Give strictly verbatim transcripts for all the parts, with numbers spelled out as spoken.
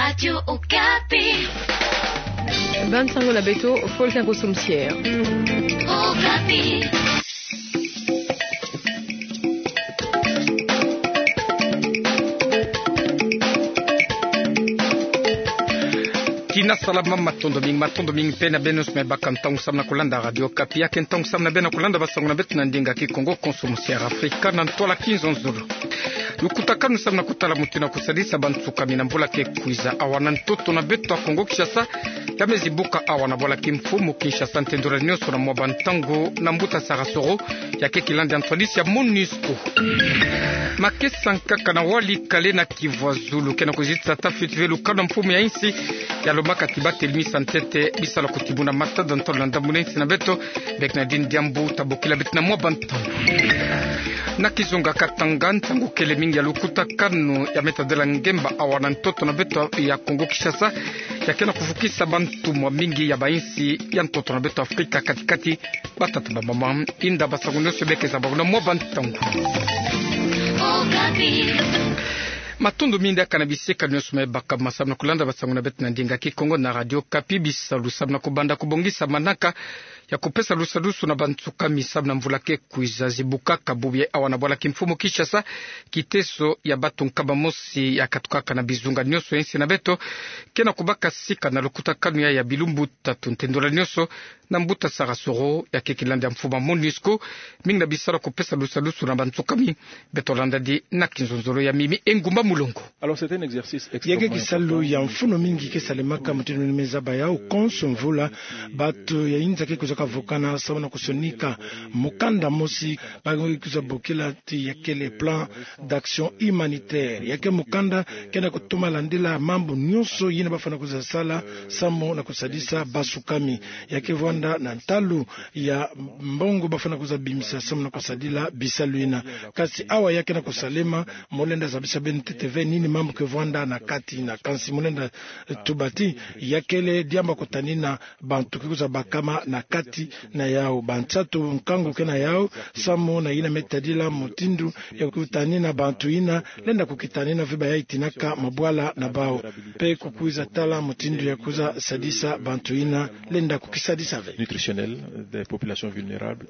Radio Okapi. Bansango na beto, Fulgence Nkosi Musiere. Okapi. Tina salama, matondo mingi, matondo mingi mpe na beno nyonso me baka ntangu samu na kulanda Radio Okapi. Yake ntangu samu na beno na kulanda bansango na beto na ndinga Kikongo, Konso Musiere Afrika na ntwala Kinzonzolo. Lukutakanu samu na kutala mutindu ya kusadisa bansukami na mvula ke kwiza awa na ntoto na beto ya Kongo Kinshasa, ya me zibuka awa na bwala kimfumu Kinshasa ntendolani nyonso na mwa bantangu na mbuta Sarasoro, yake kilandi ya ntwadisi ya MONUSCO. Makesa nkaka na Walikale na Kivu ya Zulu ke na kuzitisa ta fioti ve lukanu ya mfumu ya insi, ya lomaka ti ba telimisa ntete bisalu ya kutimuna matada ntalu na ndambu na insi na beto, bek na dini diambu ta bokila beto na mwa bantangu. Na kizunga Katanga, nsangu kele mingi ya lukutakanu ya me tadila ngemba awa na ntoto na beto ya Kongo Kinshasa, ya ke na kufukisa bantu mwa mingi ya bainsi ya ntoto na beto Afrika kati-kati, batata, bamama. Inda bansangu nyonso beke za bangu na mwa bantangu. Matondo mingi kaka na bisika nyonso me baka ma samu na kulanda bansangu na beto na ndinga Kikongo na Radio Okapi. Bisalu samu na kubanda kubongisa manaka ya kupesa lusadusu na bansukami samu na mvula ke kwiza zibukaka bubu yayi awa na bwala kimfumu Kinshasa, kiteso ya bantu nkama mosi ya katukaka na bizunga nyonso ya insi na beto, ke na kubaka sika na lukutakanu yayi ya bilumbu tatu ntendolani nyonso na mbuta Sarasoro, yake kilandi ya mfumu ya MONUSCO, mingi na bisalu ya kupesa lusadusu na bansukami. Beto landadi na kinzonzolo ya Mimi Engumba Mulongo. Alors, c'est un exercice extrêmement important. Yake kisalu ya mfunu mingi ke salemaka mutindu ni me zaba yawu konso mvula. Bantu ya inza ke kwiza kavukana samu na kusonika mukanda mosi ba kwiza bokila ti ya kele plan d'action humanitaire. Yake mukanda ke na kutuma landila mambu nyonso yina bafwana kwiza sala samu na kusadisa bansukami. Yake vwanda na ntalu ya mbongo bafwana kwiza bimisa samu na kusadila bisalu yina. Kasi awa yake na kusalema, mu lenda zabisa beno ntete ve nini mambu ke vwanda na kati yina. Kansi mu lenda, eh, tuba ti ya kele diambu ya kutanina bantu ke kwiza bakama na kati na yawu. Bansatu nkangu ke na yawu samu na yina me tadila mutindu ya kutanina bantu yina, lenda kukitanina ve bayayi tinaka mabwala na bawu, mpe kukwiza tala mutindu ya kwiza sadisa bantu yina, lenda kukisadisa ve. Nutritionnelle des populations vulnérables.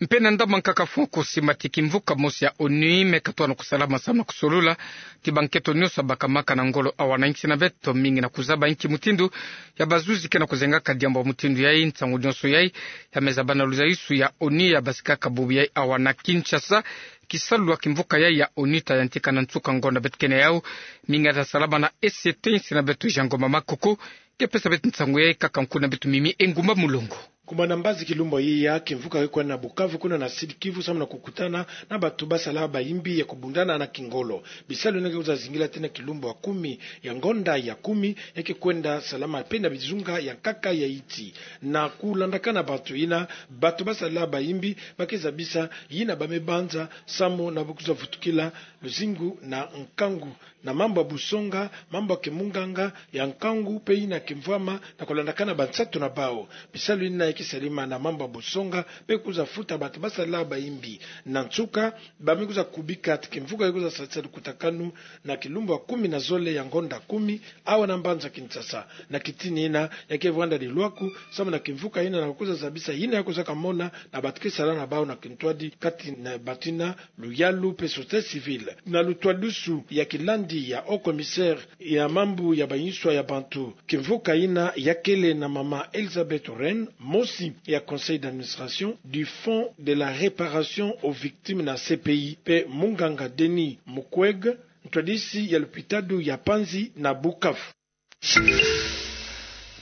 Mpe na ndambu nkaka funu kusima ti kimvuka mosi ya ONU me katono kusalama samu na kusolula ti bankento nyonso bakamaka na ngolo awa na insi na beto, mingi na kuzaba inki mutindu ya bazuzi ke na kuzengaka diambu ya mutindu yayi. Nsangu nyonso yayi ya me zaba na luzayisu ya ONU ya basikaka bubu yayi awa na Kinshasa. Kisalu ya kimvuka yayi ya ONU ta yantika na nsuka ngonda beto ke na yawu. Mingi ta salama na SCT insi na beto, Jean Ngoma Makoko ke pesa beto nsangu yayi kaka nkuna beto Mimi Engumba Mulongo. Kuma na mbazi kilumbu yayi ya kimvuka ke kwenda na Bukavu, kuna na Sud-Kivu, samu na kukutana na bantu basala bayimbi ya kubundana na kingolo. Bisalu yina ke kwiza zingila tii na kilumbu ya kumi ya ngonda ya kumi, ya ke kwenda salama mpe na bizunga ya nkaka ya insi. Na kulandakana bantu yina, bantu basala bayimbi ba ke zabisa yina ba me banza samu na kwiza vutukila luzingu na nkangu, na mambu ya busonga, mambu ya kimunganga, ya nkangu mpe yina kimvwama, na kulandakana bansatu na bawu. Bisalu yina ya ke salama na mambu ya busonga mpe kwiza futa bantu basala bayimbi. Na nsuka, ba me kwiza kubika ti kimvuka ke kwiza sadisa lukutakanu na kilumbu ya kumi na zole ya ngonda kumi, awa na mbanza Kinshasa. Na kitini yina, ya ke vwanda dilwaku samu na kimvuka yina na kwiza zabisa yina ya kwiza kamona na bantu ke sala na bawu na kintwadi, kati na bantu yina luyalu mpe société civile. Na lutwadusu ya kilandi ya haut commissaire ya mambu ya bayinswa ya bantu, kimvuka yina ya kele na mama Elisabeth Rène, mosi ya conseil d'administration du Fonds de la réparation aux victimes na CPI, mpe munganga Denis Mukwege, ntwadisi ya lupitalu ya Panzi na Bukavu.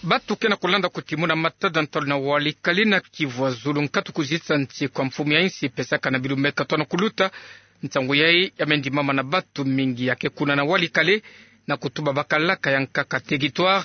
Bantu ke na kulanda kutimuna matada ntalu na Walikale na Kivu ya Zulu, nkatu kuzitisa nsi kwa mfumu ya insi pesaka na bilumbu me katono kuluta. Nsangu yayi ya me ndimama na bantu mingi ya ke kuna na Walikale, na kutuba bakalaka ya nkaka territoire,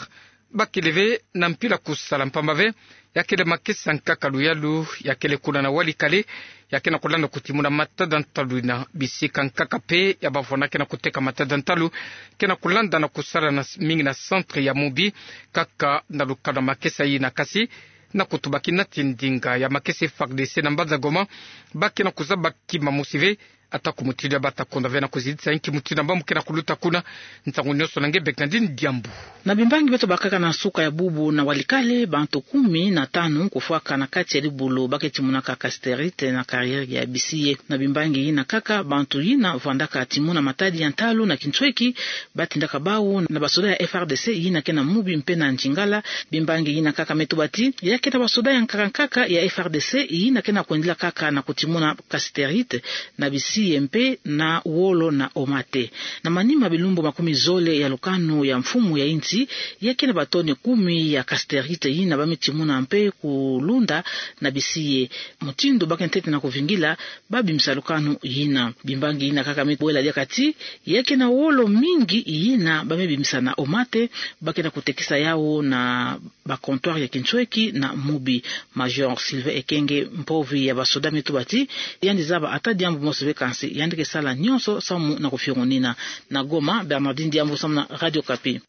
ba kele ve na mpila kusala mpamba ve, ya kele makesa nkaka luyalu ya kele kuna na Walikale, ya ke na kulanda kutimuna matada ntalu na bisika nkaka mpe ya bavwanda ke na kuteka matada ntalu, ke na kulanda na kusala na s-, mingi na centre ya Mubi, kaka na lukanu ya makesa yina. Kasi na kutubakina ti ndinga ya makesa FARDC na mbanza Goma, ba ke na kuzaba kima mosi ve, Atako mutindu ya bata konda ve na kuzidisa inki mutindu ya mbamu ke na kuluta kuna. Nsangu nionso na nge Bernardine Diambu. Na bimbangi beto bakaka na nsuka ya bubu na Walikale, bantu kumi na tanu kufwaka na kati ya libulu ba ke timunaka casterite na carrière ya Bisiye. Na bimbangi yina kaka, bantu yina vwandaka timuna matadi ya ntalu na kintweki, batindaka bawu na basoda ya F R D C yina ke na mubi mpe na nzingala. Bimbangi yina kaka me tuba ti ya ke na basoda ya nkaka nkaka ya F R D C yina ke na kwendila kaka na kutimuna casterite na Bisiye mpe na wolo na Omate. Na manima bilumbu makumi zole ya lukanu ya mfumu ya insi, ya ke na batoni kumi ya casterite yina ba me timuna mpe kulunda na Bisiye. Mutindu ba ke ntete na kuvingila, ba bimisa lukanu yina. Bimbangi yina kaka me bwela diaka ti ya ke na wolo mingi yina ba me bimisa na Omate, ba ke na kutekisa yawu na ba comptoir ya kintweki na mubi. Major Sylvain Ekenge, mpovi ya basoda, me tuba ti yandi zaba ata diambu mosi ve, kansi yandi ke sala nionso samu na kufiongonina. Na Goma, Bernardine Diambu samu na Radio Okapi.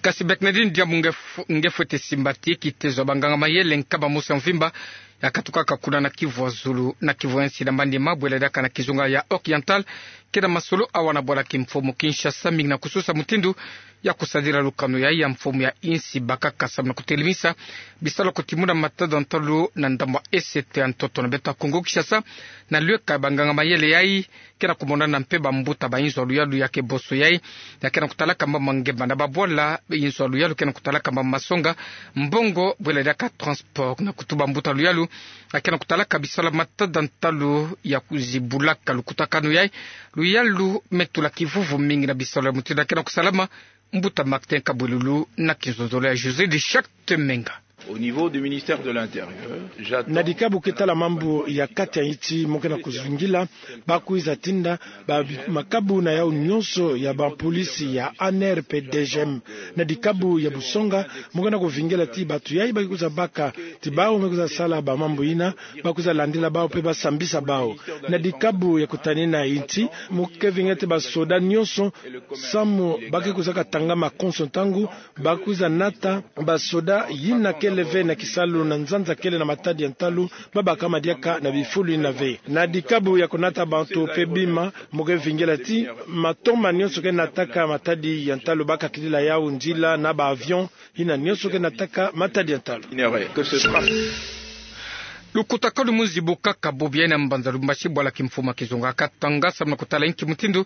Kasi Bernardine Diambu, nge f-, nge fwete simba ti kitezo ya banganga mayele nkaba mosi ya mvimba ya katukaka kuna na kivu ya zulu na kivu ya nsi na manima bwela diaka na kizunga ya Oriental, ke na masolo awa na bwala kimfumu Kinshasa, mingi na kususa mutindu ya kusadila lukanu yayi ya mfumu ya insi bakaka samu na kutelemisa bisalu ya kutimuna matadi ya ntalu na ndambu ya Est ya ntoto na beto ya Kongo Kinshasa, na luyeka ya banganga mayele yayi ke na kumonana mpe bambuta ba inzo ya luyalu ya ke boso yayi, ya ke na kutalaka mama ngemba na babwala. Inzo ya luyalu ke na kutalaka mama masonga, mbongo, bwela diaka transport, na kutu bambuta luyalu ya ke na kutalaka bisalu ya matadi ya ntalu ya kuzibulaka lukutakanu yayi. Luyalu me tula kivuvu mingi na bisalu ya mutindu ya ke na kusalama. Mbuta Martin Kabwelulu na kinzonzolo ya José de Charte Menga. Au niveau du ministère de l'Intérieur, j'attends... Na dikabu ke tala mambu ya kati ya insi, mo ke na kuzingila, ba kwiza tinda ba bi-, makabu na yawu nionso ya bapolisi ya A N R pe D G M. Na dikabu ya busonga, mo ke na kuvingila ti bantu yayi ba ke kwiza baka ti bawu me kwiza sala bamambu yina, ba kwiza landila bawu mpe ba sambisa bawu. Na dikabu ya kutanina insi, mo ke vingila ti basoda nionso samu ba ke kwiza katanga makonso ntangu, ba kwiza nata basoda yina kele ve na kisalu na nzanza kele na matadi ya ntalu, ba bakama diaka na bifulu yina ve. Na dikabu ya kunata bantu mpe bima, mo ke vingila ti matoma nionso ke nataka matadi ya ntalu, ba kakilila yawu nzila na ba avion yina nionso ke nataka matadi ya ntalu. Lukutakanu mu nzibukaka bobo yayi na mbanza Lubumbashi, bwala kimfumu ya kizunga Katanga, samu na kutala inki mutindu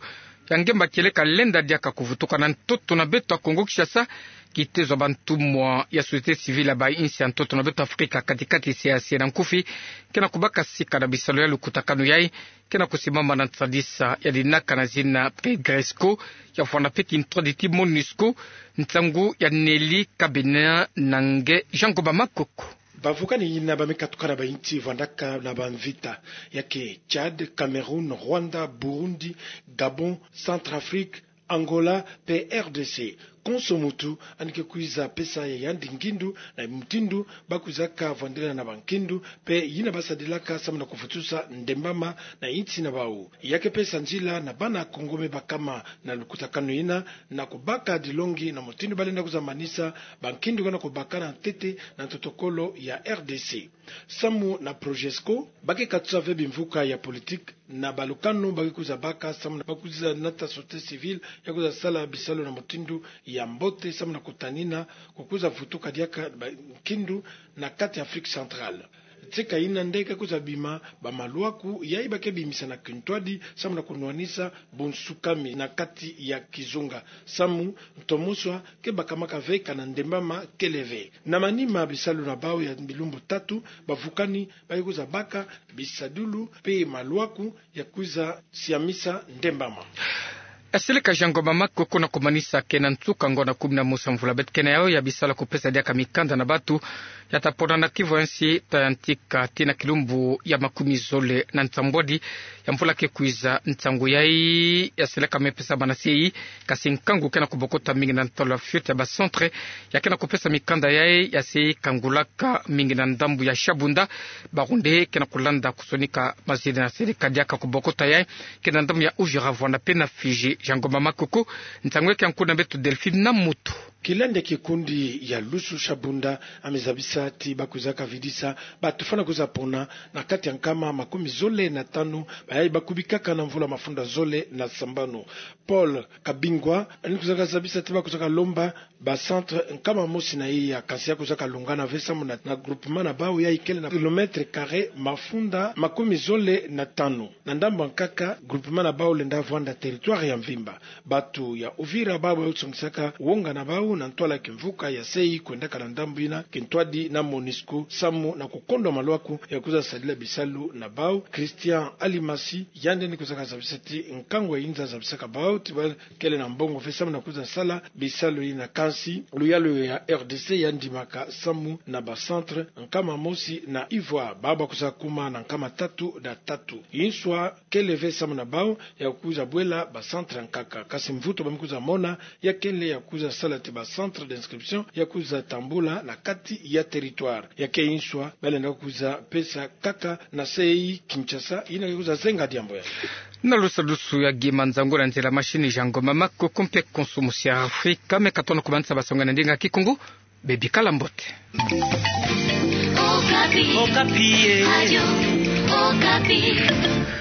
ya ngemba kieleka lenda diaka kuvutuka na ntoto na beto ya Kongo Kinshasa. Kitezo ya bantumwa ya société civile ya ba insi ya ntoto na beto Afrika ya kati-kati, C E E A C, na nkufi, ke na kubaka sika na bisalu ya lukutakanu yayi, ke na kusimbama na nsadisa ya dinaka na zina Pegresco, ya vwanda mpe kintwadi ti MONUSCO. Nsangu ya Nelly Kabena na nge Jean Goba Makoko. Bavukani yina ba me katuka na ba insi vwandaka na bamvita, ya ke Tchad, Cameroun, Rwanda, Burundi, Gabon, Centrafrique, Angola mpe R D C. Konso muntu yandi ke kwiza pesa ya yandi ngindu na mutindu ba kwizaka vwandila na bankindu mpe yina ba sadilaka samu na kuvutusa ndembama na insi na bawu. Ya ke pesa nzila na bana Kongo me bakama na lukutakanu yina, na kubaka dilongi na mutindu ba lenda kwiza manisa bankindu ke na kubaka na ntete na ntotokolo ya R D C. Samu na Progesco, ba ke katusa ve bimvuka ya politique na balukanu ba ke kwiza baka samu na ba kwiza nata société civile ya kwiza sala bisalu na mutindu ya mbote samu na kutanina kukwiza vutuka diaka bankindu na kati ya Afrique centrale. Tika yina nde ke kwiza bima bamalwaku yayi ba ke bimisa na kintwadi samu na kunwanisa bunsukami na kati ya kizunga, samu ntomo-swa ke bakamaka ve kana ndembama kele ve. Na manima bisalu na bawu ya bilumbu tatu, bavukani ba ke kwiza baka bisadulu mpe malwaku ya kwiza siamisa ndembama. Aseleka Jean Goba Makoko na kumanisa ke na nsuka ngonda kumi na mosi ya mvula beto ke na yawu ya bisalu ya kupesa diaka mikanda na bantu ya ta pona na kivu ya nsi ta yantika tii na kilumbu ya makumi zole na nsambwadi ya mvula ke kwiza. Nsangu yayi ya seleka me pesa bana C E I, kasi nkangu ke na kubokota mingi na ntalu ya fioti ya ba centre ya ke na kupesa mikanda yayi ya C E I kangulaka mingi na ndambu ya Shabunda. Bawu nde ke na kulanda kusonika mazina ya seleka diaka kubokota yayi, ke na ndambu ya Uvira, vwanda mpe na Fidji. Jean Goba Makoko, nsangu ya ke ya nkuna beto Delphine na Mutu. Kilandi ya kikundi ya Lusu Shabunda amezabisa ti bakwizaka vidisa bato fwana kwiza pona na kati ya nkama makumi zole na tanu, bayayi bakubikaka na mvula mafunda zole na sambanu. Paul Kabingwa, yandi kwizaka zabisa ti bakwizaka lomba ba centre nkama mosi na iya, kansi ya kwizaka lungana ve samu na, na groupement na bawu yayi kele na kilomètre carré mafunda makumi zole na tanu. Na ndambu ya nkaka, groupement na bawu lenda vwanda territoire ya mvimba. Bato ya Uvira bawu basongisaka wonga na bawu na ntwala kimvuka ya sei kwendaka na ndambu yina kintwadi na MONUSCO samu na kukondwa malwaku ya kwiza sadila bisalu na bawu. Christian Alimasi, yandi yandi kwizaka zabisa ti nkangu ya inza zabisaka bawu ti ba kele na mbongo ve samu na kwiza sala bisalu yina, kansi luyalu ya R D C yandi ndimaka samu na ba centre nkama mosi na Ivoire, bawu bakwiza kuma na nkama tatu na tatu. Inswa kele ve samu na bawu ya kwiza bwela ba centre nkaka. Kansi mvutu ba me kwiza mona, ya kele ya kwiza sala ti ba centre d'inscription ya kwiza tambula na kati ya territoire. Ya ke inswa, balenda kwiza pesa kaka na sei Kinshasa, yina ke kwiza zenga diambu yandi. Na lusadusu ya Guy Manzango, na nzila machine Jean Ngoma Makoko mpe konso musi ya Afrika, me ka tona kumanisa basonga na ndinga Kikongo. Bebikala mbote. Okapi. Okapi, eh. Radio Okapi.